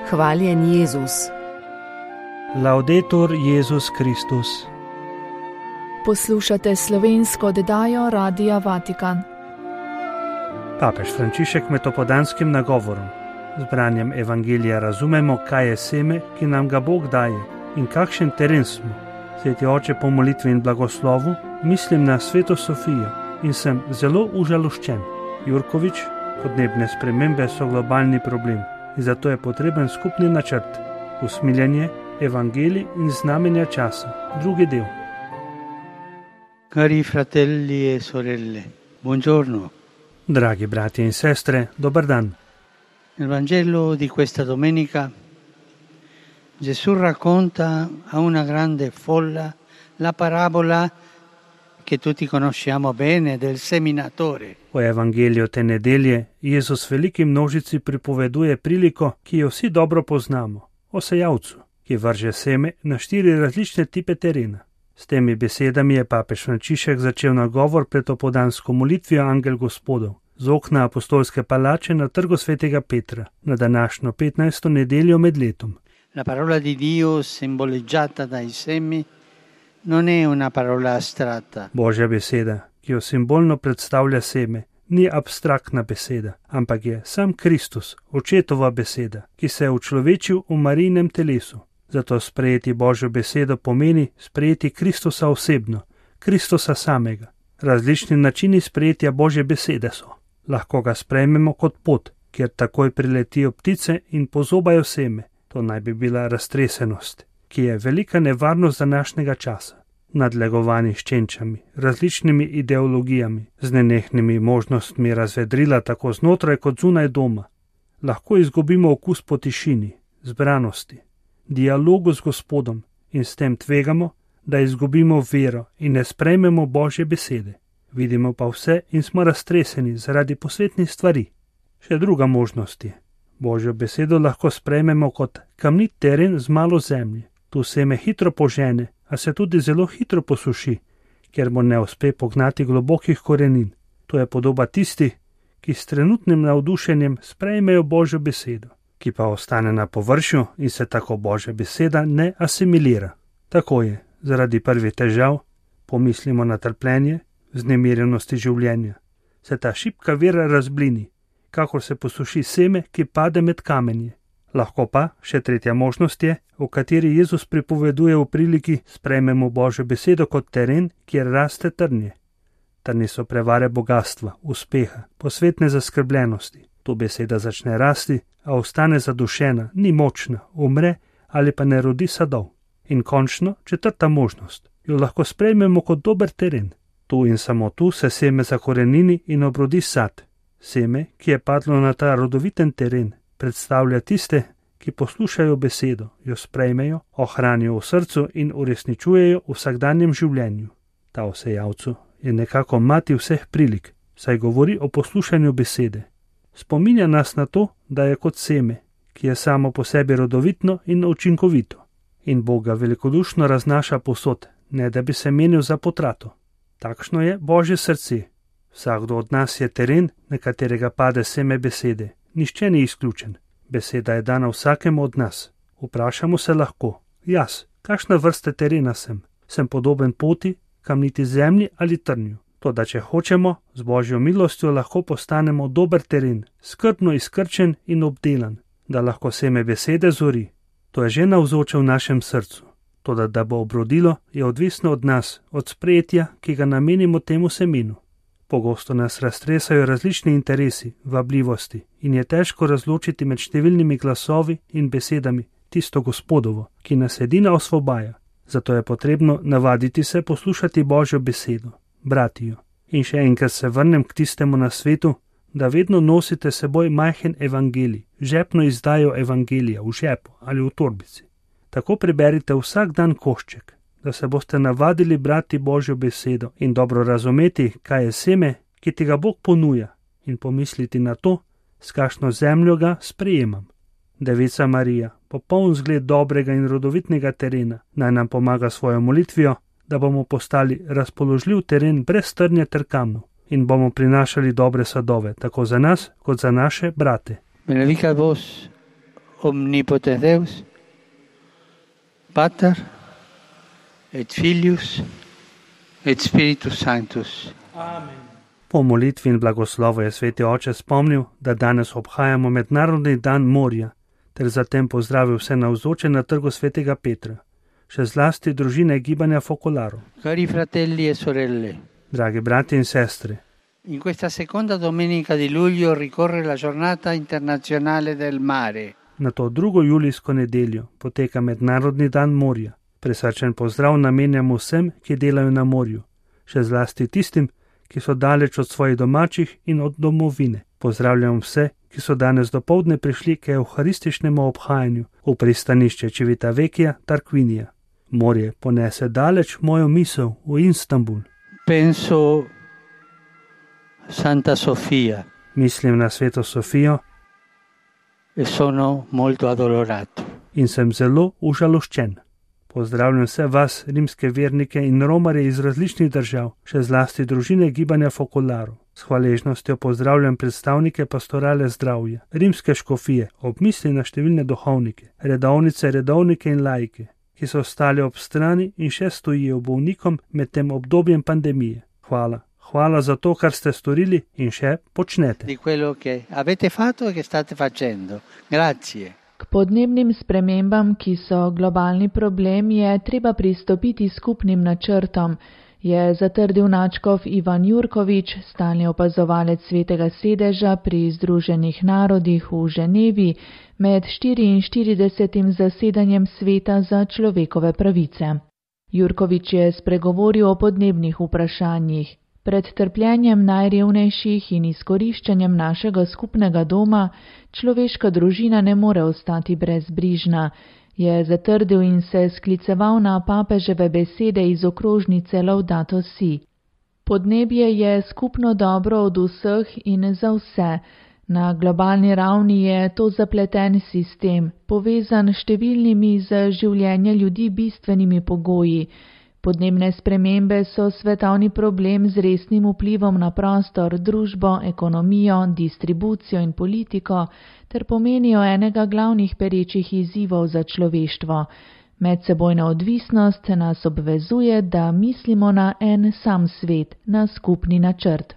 Hvaljen Jezus. Laudetur Jezus Kristus. Poslušate slovensko oddajo Radia Vatikan. Papež Frančišek med opoldanskim nagovorom z branjem evangelija razumemo, kaj je seme, ki nam ga Bog daje in kakšen teren smo. Sveti oče, po molitvi in blagoslovu mislim na sveto Sofijo in sem zelo užaloščen. Jurkovič, podnebne spremembe so globalni problem in zato je potreben skupni načrt, usmiljanje, evangelij in znamenja časa. Drugi del. Cari fratelli e sorelle, buongiorno. Dragi bratje in sestre, dober dan. Nel Vangelo di questa domenica Gesù racconta a una grande folla la parabola che tutti conosciamo bene del seminatore. V evangeliju te nedelje Jezus veliki množici pripoveduje priliko, ki jo vsi dobro poznamo, o sejavcu, ki vrže seme na 4 različne tipe terena. S temi besedami je papež Frančišek začel nagovor pred opoldansko molitvijo Angel Gospodov z okna apostolske palače na trgu svetega Petra na današnjo 15. nedeljo med letom. La parola di Dio simboleggiata dai semi non è una parola astratta. Božja beseda, ki jo simbolno predstavlja seme, ni abstraktna beseda, ampak je sam Kristus, očetova beseda, ki se je učlovečil v Marijinem telesu. Zato sprejeti Božjo besedo pomeni sprejeti Kristusa osebno, Kristusa samega. Različni načini sprejetja Božje besede so. Lahko ga sprejmemo kot pot, kjer takoj priletijo ptice in pozobajo seme. To naj bi bila raztresenost, ki je velika nevarnost današnjega časa. Nadlegovani s čenčami, različnimi ideologijami, z nenehnimi možnostmi razvedrila tako znotraj kot zunaj doma. Lahko izgubimo okus po tišini, zbranosti, dialogu z Gospodom in s tem tvegamo, da izgubimo vero in ne sprejmemo Božje besede. Vidimo pa vse in smo raztreseni zaradi posvetnih stvari. Še druga možnost je. Božjo besedo lahko sprejmemo kot kamnit teren z malo zemlje. Tu seme hitro požene, a se tudi zelo hitro posuši, ker mu ne uspe pognati globokih korenin. To je podoba tisti, ki s trenutnim navdušenjem sprejmejo Božjo besedo, ki pa ostane na površju in se tako Božja beseda ne asimilira. Tako je, zaradi prvih težav, pomislimo na trpljenje, vznemirjenosti življenja, se ta šibka vera razblini, kakor se posuši seme, ki pade med kamenje. Lahko pa, še tretja možnost je, v kateri Jezus pripoveduje v priliki, sprejmemo Božjo besedo kot teren, kjer raste trnje. Trnje so prevare bogatstva, uspeha, posvetne zaskrbljenosti. Tu beseda začne rasti, a ostane zadušena, ni močna, umre ali pa ne rodi sadov. In končno, četrta možnost, jo lahko sprejmemo kot dober teren. Tu in samo tu se seme zakorenini in obrodi sad. Seme, ki je padlo na ta rodoviten teren, predstavlja tiste, ki poslušajo besedo, jo sprejmejo, ohranijo v srcu in uresničujejo v vsakdanjem življenju. Ta o sejavcu je nekako mati vseh prilik, saj govori o poslušanju besede. Spominja nas na to, da je kot seme, ki je samo po sebi rodovitno in učinkovito. In Bog ga velikodušno raznaša povsod, ne da bi se menil za potrato. Takšno je Božje srce. Vsakdo od nas je teren, na katerega pade seme besede. Nihče ni izključen. Beseda je dana vsakemu od nas. Vprašamo se lahko, jaz, kakšna vrsta terena sem? Sem podoben poti, kamniti zemlji ali trnju? Toda če hočemo, z Božjo milostjo lahko postanemo dober teren, skrbno izkrčen in obdelan, da lahko seme besede zori. To je že navzoče v našem srcu. Toda da bo obrodilo, je odvisno od nas, od sprejetja, ki ga namenimo temu semenu. Pogosto nas raztresajo različni interesi, vabljivosti in je težko razločiti med številnimi glasovi in besedami tisto Gospodovo, ki nas edina osvobaja. Zato je potrebno navaditi se poslušati Božjo besedo, brati jo. In še enkrat se vrnem k tistemu nasvetu, da vedno nosite seboj majhen evangelij, žepno izdajo evangelija v žepu ali v torbici. Tako preberite vsak dan košček, da se boste navadili brati Božjo besedo in dobro razumeti, kaj je seme, ki ti ga Bog ponuja, in pomisliti na to, s kakšno zemljo ga sprejemam. Devica Marija, popoln zgled dobrega in rodovitnega terena, naj nam pomaga svojo molitvijo, da bomo postali razpoložljiv teren brez trnja ter kamnov in bomo prinašali dobre sadove, tako za nas, kot za naše brate. Benedicat vos omnipotens Deus, Pater et Filius et Spiritus Sanctus. Po molitvi in blagoslovu je sveti oče spomnil, da danes obhajamo mednarodni dan morja, ter zatem pozdravil vse navzoče na trgu svetega Petra, še zlasti družine gibanja Focolaro. Cari fratelli e sorelle, Dragi brati in sestre, in questa seconda domenica di luglio ricorre la giornata internazionale del mare. na to 2. julijsko nedeljo poteka mednarodni dan morja. Prisrčen pozdrav namenjamo vsem, ki delajo na morju, še zlasti tistim, ki so daleč od svojih domačih in od domovine. Pozdravljam vse, ki so danes dopoldne prišli k evharističnemu obhajanju v pristanišče Civitavecchia Tarquinija. Morje ponese daleč mojo misel v Istanbul. Penso Santa Sofia Mislim na sveto Sofijo e sono molto addolorato. in sem zelo užaloščen. Pozdravljam vse vas, rimske vernike in romarje iz različnih držav, še zlasti družine gibanja Focolaro. S hvaležnostjo pozdravljam predstavnike pastorale zdravja, rimske škofije, ob misli na številne duhovnike, redovnice, redovnike in laike, ki so stali ob strani in še stojijo bolnikom med tem obdobjem pandemije. Hvala. Hvala za to, kar ste storili in še počnete. Di quello che avete fatto e che state facendo. Grazie. K podnebnim spremembam, ki so globalni problem, je treba pristopiti skupnim načrtom, je zatrdil nadškof Ivan Jurkovič, stalni opazovalec Svetega sedeža pri Združenih narodih v Ženevi med 44. zasedanjem Sveta za človekove pravice. Jurkovič je spregovoril o podnebnih vprašanjih. Pred trpljenjem najrevnejših in izkoriščanjem našega skupnega doma človeška družina ne more ostati brezbrižna, je zatrdil in se skliceval na papeževe besede iz okrožnice Laudato Si. Podnebje je skupno dobro od vseh in za vse. Na globalni ravni je to zapleten sistem, povezan s številnimi za življenje ljudi bistvenimi pogoji. Podnebne spremembe so svetovni problem z resnim vplivom na prostor, družbo, ekonomijo, distribucijo in politiko ter pomenijo enega glavnih perečih izzivov za človeštvo. Medsebojna odvisnost nas obvezuje, da mislimo na en sam svet, na skupni načrt.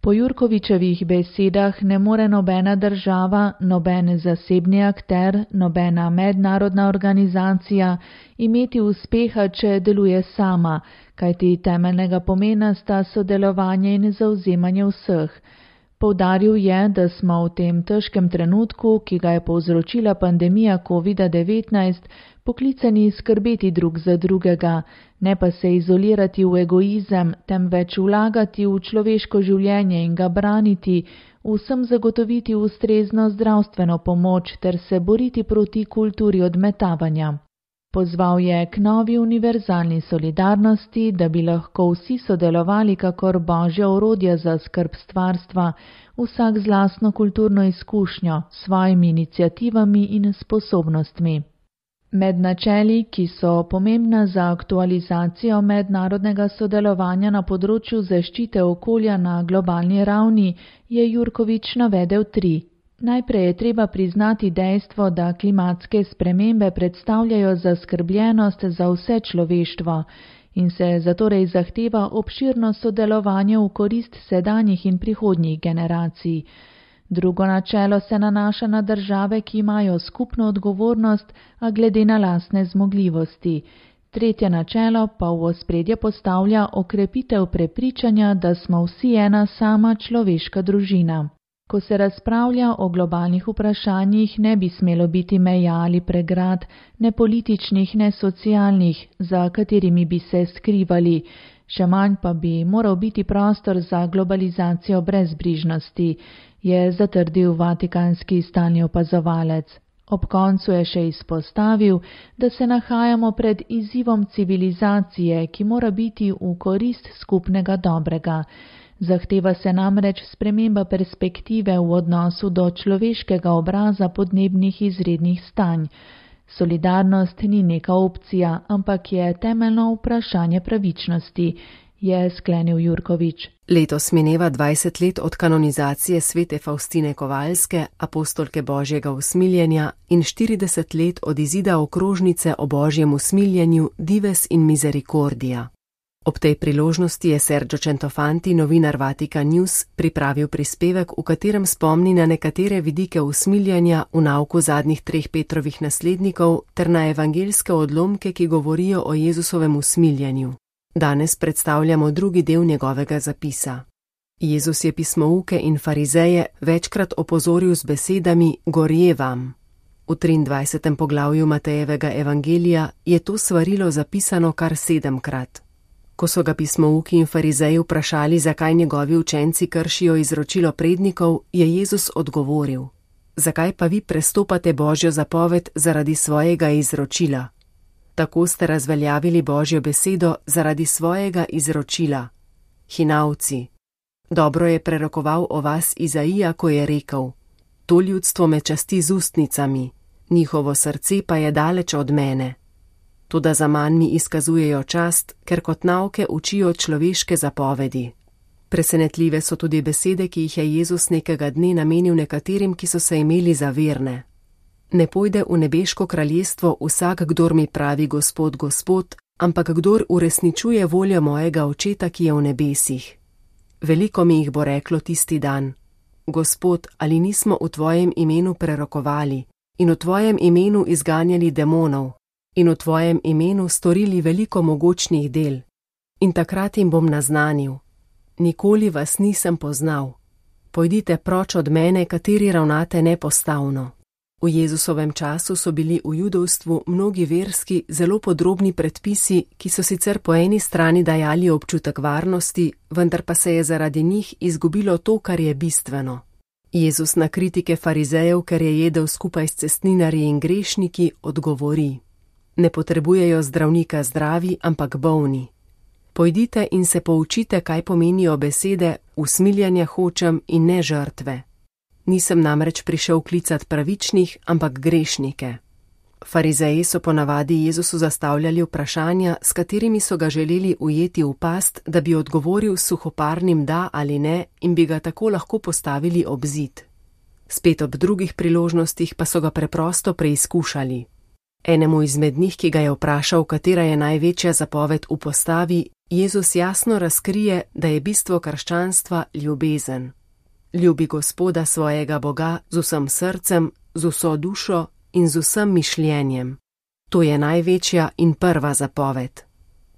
Po Jurkovičevih besedah ne more nobena država, noben zasebni akter, nobena mednarodna organizacija imeti uspeha, če deluje sama, kajti temeljnega pomena sta sodelovanje in zavzemanje vseh. Poudaril je, da smo v tem težkem trenutku, ki ga je povzročila pandemija COVID-19, poklicani skrbeti drug za drugega, ne pa se izolirati v egoizem, temveč vlagati v človeško življenje in ga braniti, vsem zagotoviti ustrezno zdravstveno pomoč ter se boriti proti kulturi odmetavanja. Pozval je k novi univerzalni solidarnosti, da bi lahko vsi sodelovali kakor božja orodja za skrb stvarstva, vsak z lastno kulturno izkušnjo, svojimi iniciativami in sposobnostmi. Med načeli, ki so pomembna za aktualizacijo mednarodnega sodelovanja na področju zaščite okolja na globalni ravni, je Jurkovič navedel 3. Najprej je treba priznati dejstvo, da klimatske spremembe predstavljajo zaskrbljenost za vse človeštvo in se zatorej zahteva obširno sodelovanje v korist sedanjih in prihodnjih generacij. Drugo načelo se nanaša na države, ki imajo skupno odgovornost, a glede na lastne zmogljivosti. Tretje načelo pa v ospredje postavlja okrepitev prepričanja, da smo vsi ena sama človeška družina. Ko se razpravlja o globalnih vprašanjih, ne bi smelo biti meja ali pregrad, ne političnih, ne socialnih, za katerimi bi se skrivali. Še manj pa bi moral biti prostor za globalizacijo brezbrižnosti, je zatrdil vatikanski stalni opazovalec. Ob koncu je še izpostavil, da se nahajamo pred izzivom civilizacije, ki mora biti v korist skupnega dobrega. Zahteva se namreč sprememba perspektive v odnosu do človeškega obraza podnebnih izrednih stanj. Solidarnost ni neka opcija, ampak je temeljno vprašanje pravičnosti, je sklenil Jurkovič. Letos mineva 20 let od kanonizacije svete Faustine Kovalske, apostolke Božjega usmiljenja, in 40 let od izida okrožnice o Božjem usmiljenju Dives in Misericordia. Ob tej priložnosti je Sergio Centofanti, novinar Vatican News, pripravil prispevek, v katerem spomni na nekatere vidike usmiljanja v nauku zadnjih 3 Petrovih naslednikov ter na evangeljske odlomke, ki govorijo o Jezusovem usmiljenju. Danes predstavljamo drugi del njegovega zapisa. Jezus je pismouke in farizeje večkrat opozoril z besedami gorje vam. V 23. poglavju Matejevega evangelija je to svarilo zapisano kar 7-krat. Ko so ga pismouki in farizeji vprašali, zakaj njegovi učenci kršijo izročilo prednikov, je Jezus odgovoril: zakaj pa vi prestopate Božjo zapoved zaradi svojega izročila? Tako ste razveljavili Božjo besedo zaradi svojega izročila. Hinavci. Dobro je prerokoval o vas Izaija, ko je rekel: to ljudstvo me časti z ustnicami, njihovo srce pa je daleč od mene. Toda zaman mi izkazujejo čast, ker kot nauke učijo človeške zapovedi. Presenetljive so tudi besede, ki jih je Jezus nekega dne namenil nekaterim, ki so se imeli za verne. Ne pojde v nebeško kraljestvo vsak, kdor mi pravi Gospod, Gospod, ampak kdor uresničuje voljo mojega Očeta, ki je v nebesih. Veliko mi jih bo reklo tisti dan: Gospod, ali nismo v tvojem imenu prerokovali in v tvojem imenu izganjali demonov in v tvojem imenu storili veliko mogočnih del? In takrat jim bom naznanil: nikoli vas nisem poznal. Pojdite proč od mene, kateri ravnate nepostavno. V Jezusovem času so bili v judovstvu mnogi verski, zelo podrobni predpisi, ki so sicer po eni strani dajali občutek varnosti, vendar pa se je zaradi njih izgubilo to, kar je bistveno. Jezus na kritike farizejev, ker je jedel skupaj s cestninarji in grešniki, odgovori: ne potrebujejo zdravnika zdravi, ampak bolni. Pojdite in se poučite, kaj pomenijo besede usmiljanja hočem in ne žrtve. Nisem namreč prišel klicat pravičnih, ampak grešnike. Farizeji so ponavadi Jezusu zastavljali vprašanja, s katerimi so ga želeli ujeti v past, da bi odgovoril s suhoparnim da ali ne in bi ga tako lahko postavili ob zid. Spet ob drugih priložnostih pa so ga preprosto preizkušali. Enemu izmed njih, ki ga je vprašal, katera je največja zapoved v postavi, Jezus jasno razkrije, da je bistvo krščanstva ljubezen. Ljubi Gospoda svojega Boga z vsem srcem, z vso dušo in z vsem mišljenjem. To je največja in prva zapoved.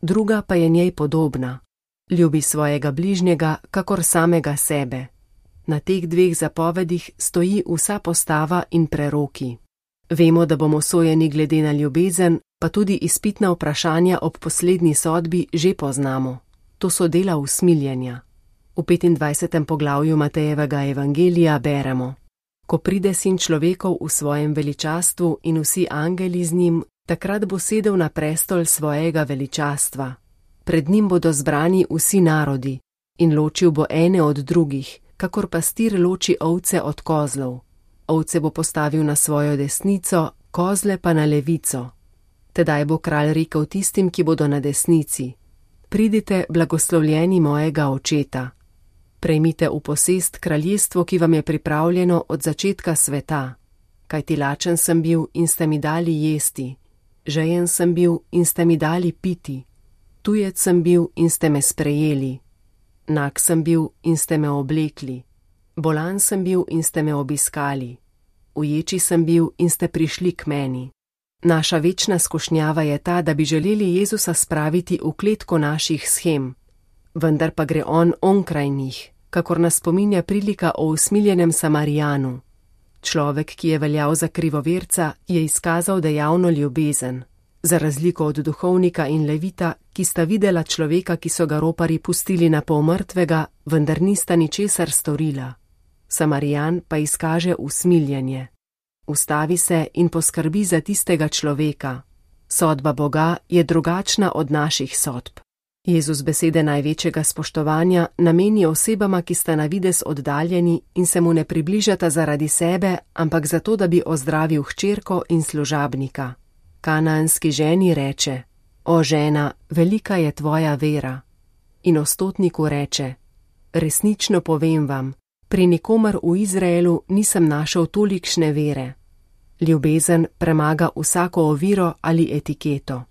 Druga pa je njej podobna. Ljubi svojega bližnjega, kakor samega sebe. Na teh 2 zapovedih stoji vsa postava in preroki. Vemo, da bomo sojeni glede na ljubezen, pa tudi izpitna vprašanja ob poslednji sodbi že poznamo. To so dela usmiljenja. V 25. poglavju Matejevega evangelija beremo: ko pride Sin človekov v svojem veličastvu in vsi angeli z njim, takrat bo sedel na prestol svojega veličastva. Pred njim bodo zbrani vsi narodi in ločil bo ene od drugih, kakor pastir loči ovce od kozlov. Ovce bo postavil na svojo desnico, kozle pa na levico. Tedaj bo kralj rekel tistim, ki bodo na desnici: pridite, blagoslovljeni mojega Očeta. Prejmite v posest kraljestvo, ki vam je pripravljeno od začetka sveta. Kajti lačen sem bil in ste mi dali jesti, žejen sem bil in ste mi dali piti, tujec sem bil in ste me sprejeli, nag sem bil in ste me oblekli, bolan sem bil in ste me obiskali, uječi sem bil in ste prišli k meni. Naša večna skušnjava je ta, da bi želeli Jezusa spraviti v kletko naših shem, vendar pa gre on onkraj njih, kakor nas spominja prilika o usmiljenem Samarijanu. Človek, ki je veljal za krivoverca, je izkazal dejavno ljubezen, za razliko od duhovnika in levita, ki sta videla človeka, ki so ga roparji pustili na pol mrtvega, vendar nista ničesar storila. Samarijan pa izkaže usmiljenje. Ustavi se in poskrbi za tistega človeka. Sodba Boga je drugačna od naših sodb. Jezus besede največjega spoštovanja nameni osebama, ki sta na videz oddaljeni in se mu ne približata zaradi sebe, ampak zato, da bi ozdravil hčerko in služabnika. Kanaanski ženi reče: o žena, velika je tvoja vera. In ostotniku reče: resnično povem vam, pri nikomer v Izraelu nisem našel tolikšne vere. Ljubezen premaga vsako oviro ali etiketo.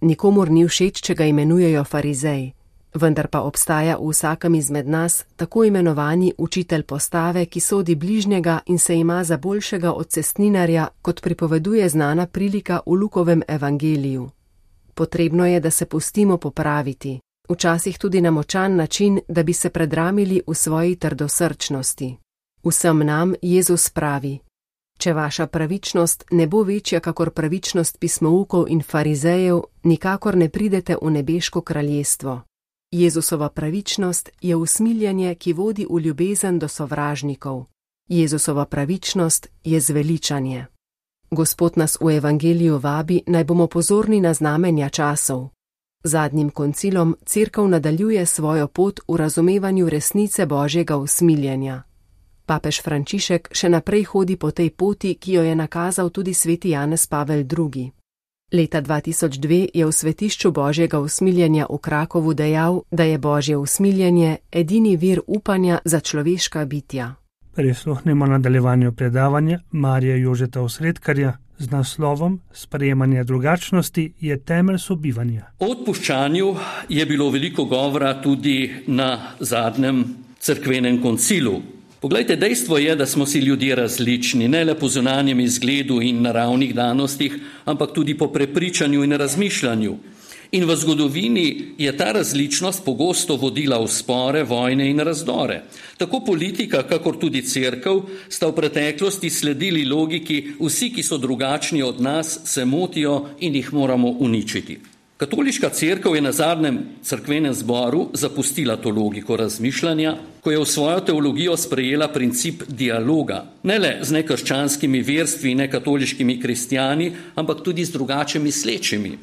Nikomur ni všeč, če ga imenujejo farizej, vendar pa obstaja v vsakem izmed nas tako imenovani učitelj postave, ki sodi bližnjega in se ima za boljšega od cestninarja, kot pripoveduje znana prilika v Lukovem evangeliju. Potrebno je, da se pustimo popraviti, včasih tudi na močan način, da bi se predramili v svoji trdosrčnosti. Vsem nam Jezus pravi: če vaša pravičnost ne bo večja kakor pravičnost pismoukov in farizejev, nikakor ne pridete v nebeško kraljestvo. Jezusova pravičnost je usmiljenje, ki vodi v ljubezen do sovražnikov. Jezusova pravičnost je zveličanje. Gospod nas v evangeliju vabi, naj bomo pozorni na znamenja časov. Zadnjim koncilom Cerkev nadaljuje svojo pot v razumevanju resnice Božjega usmiljenja. Papež Frančišek še naprej hodi po tej poti, ki jo je nakazal tudi sveti Janez Pavel II. Leta 2002 je v svetišču Božjega usmiljenja v Krakovu dejal, da je Božje usmiljenje edini vir upanja za človeška bitja. Prisluhnimo nadaljevanju predavanja Marija Jožeta Osredkarja z naslovom Sprejemanje drugačnosti je temelj sobivanja. O odpuščanju je bilo veliko govora tudi na zadnjem cerkvenem koncilu. Poglejte, dejstvo je, da smo si ljudje različni, ne le po zunanjem izgledu in naravnih danostih, ampak tudi po prepričanju in razmišljanju. In v zgodovini je ta različnost pogosto vodila v spore, vojne in razdore. Tako politika, kakor tudi cerkev sta v preteklosti sledili logiki: vsi, ki so drugačni od nas, se motijo in jih moramo uničiti. Katoliška cerkev je na zadnjem cerkvenem zboru zapustila to logiko razmišljanja, ko je v svojo teologijo sprejela princip dialoga, ne le z nekrščanskimi verstvi in nekatoliškimi kristjani, ampak tudi z drugače mislečimi.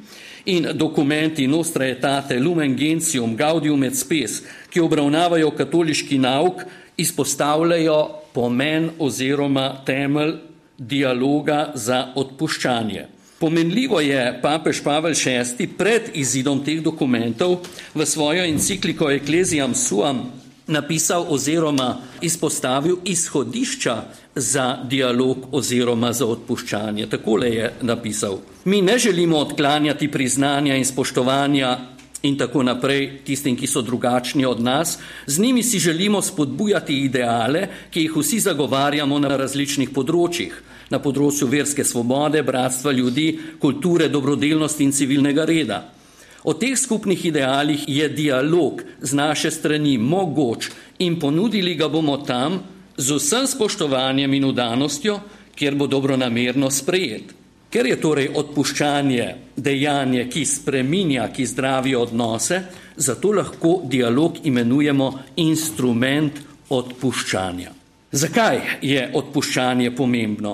In dokumenti Nostra Aetate, Lumen Gentium, Gaudium et Spes, ki obravnavajo katoliški nauk, izpostavljajo pomen oziroma temelj dialoga za odpuščanje. Pomenljivo je papež Pavel VI pred izidom teh dokumentov v svojo encikliko Ecclesiam Suam napisal oziroma izpostavil izhodišča za dialog oziroma za odpuščanje. Takole je napisal: mi ne želimo odklanjati priznanja in spoštovanja in tako naprej tistim, ki so drugačni od nas, z njimi si želimo spodbujati ideale, ki jih vsi zagovarjamo na različnih področjih, na področju verske svobode, bratstva ljudi, kulture, dobrodelnosti in civilnega reda. O teh skupnih idealih je dialog z naše strani mogoč in ponudili ga bomo tam z vsem spoštovanjem in vdanostjo, kjer bo dobronamerno sprejet. Ker je torej odpuščanje dejanje, ki spreminja, ki zdravi odnose, zato lahko dialog imenujemo instrument odpuščanja. Zakaj je odpuščanje pomembno?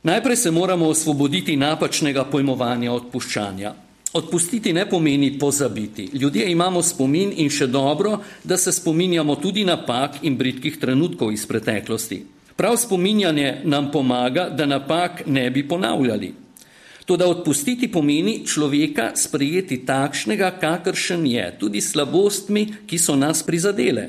Najprej se moramo osvoboditi napačnega pojmovanja odpuščanja. Odpustiti ne pomeni pozabiti. Ljudje imamo spomin in še dobro, da se spominjamo tudi napak in bridkih trenutkov iz preteklosti. Prav spominjanje nam pomaga, da napak ne bi ponavljali. Toda odpustiti pomeni človeka sprejeti takšnega, kakršen je, tudi slabostmi, ki so nas prizadele.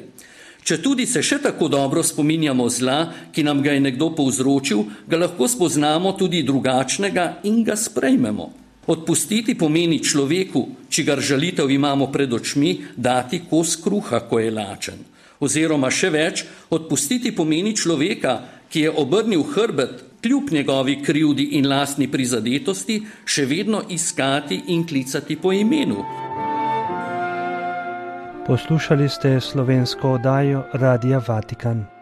Če tudi se še tako dobro spominjamo zla, ki nam ga je nekdo povzročil, ga lahko spoznamo tudi drugačnega in ga sprejmemo. Odpustiti pomeni človeku, čigar žalitev imamo pred očmi, dati kos kruha, ko je lačen. Oziroma še več, odpustiti pomeni človeka, ki je obrnil hrbet, kljub njegovi krivdi in lastni prizadetosti, še vedno iskati in klicati po imenu. Poslušali ste slovensko oddajo Radia Vatikan.